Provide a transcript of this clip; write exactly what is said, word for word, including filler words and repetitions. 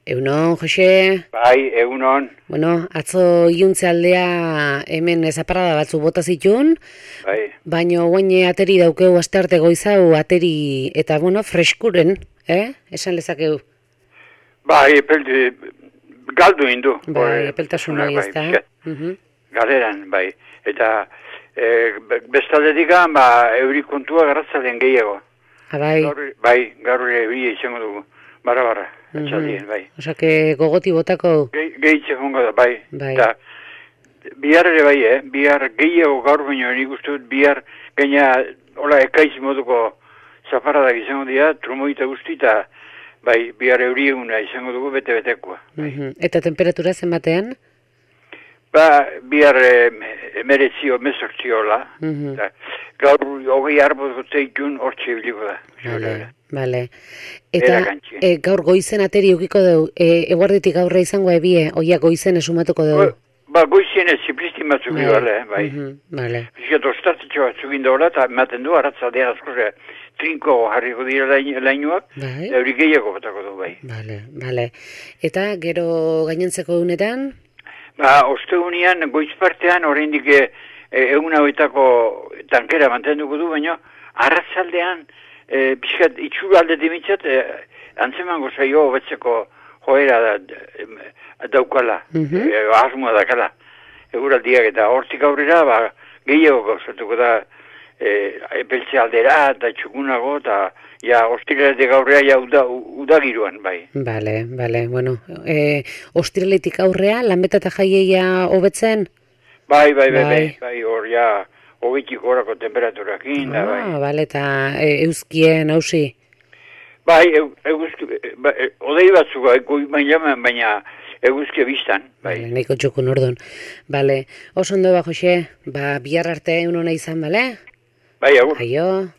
Egunon, Jose? Bai, egunon. Bueno, atzo iuntze aldea hemen zaparrada batzu bota zituen, Bai. baino guain ateri daukeu astearte goizau ateri eta, bueno, freskuren, eh? Esan lezakeu. Bai, epeldi, galdu indu. Bai, epeltasun hori ez da. Galeran, bai. Eta e, bestaldetikan, ba, euri kontua garratzalen gehiago. Ha, bai. Gaur, bai, gaur euri izango dugu. Bara-bara, atxaldien, bai. Osake gogoti botako. Ge, Gehitze jongo da, bai. Bai. Eta bihar ere bai, eh? Bihar gehiago gaur baino nik uste dut, bihar gaina, hola, ekaiz moduko zaparradak izango dira, trumoita guzti, eta bai, bihar euri eguna izango dugu bete-betekoa. Uhum. Eta temperatura zenbatean? Ba, bihar emeretzio, mesortziola. Uhum. Gaur hogei arbot gotzeitun hortxe biliko da. Vale, vale. Eta e, gaur goizen ateri ukiko dugu, e, eguarditik aurre izango ebie, oia goizen esumatuko dugu? Ba, goizen ez ziplistin batzuk bai. Bale, bai. Uhum, vale. Fiskat, ostatetxo batzuk indola, eta ematen du, aratzaldean askoze, trinko jarriko dira lainuak, bai. Euri gehiago batako du, bai. Vale, vale. Eta gero gainentzeko unetan? Ba, ostegunean, goiz partean, oraindik e, egun hauetako tankera mantenduko du, baina arratzaldean, e, pixkat, itxura alde dimitzat, e, antzemango zaio hobetzeko joera da, e, daukala, uh-huh. e, asmoa dakala, eguraldiak eta hortik aurrera, ba, gehiago gauzatuko da, e, epeltze aldera eta txukunago, eta ja, ostiraletik aurrea ja uda, udagiruan, bai. Bale, bale, bueno, e, ostiraletik aurrea, lanbeta eta jaieia hobetzen? Bai, bai, bai, bai, bai, hor ja, hogeitik horako temperaturakin, da, bai. Ah, bale, eta e, euskien hausi? Bai, eguzki, ba, e, odei batzuk, baina, baina eguzki biztan, bai. Bale, nahiko txukun orduan. Bale, oso ondo ba, Jose, ba, bihar arte egun hona izan, bale? Bai, agur. Aio.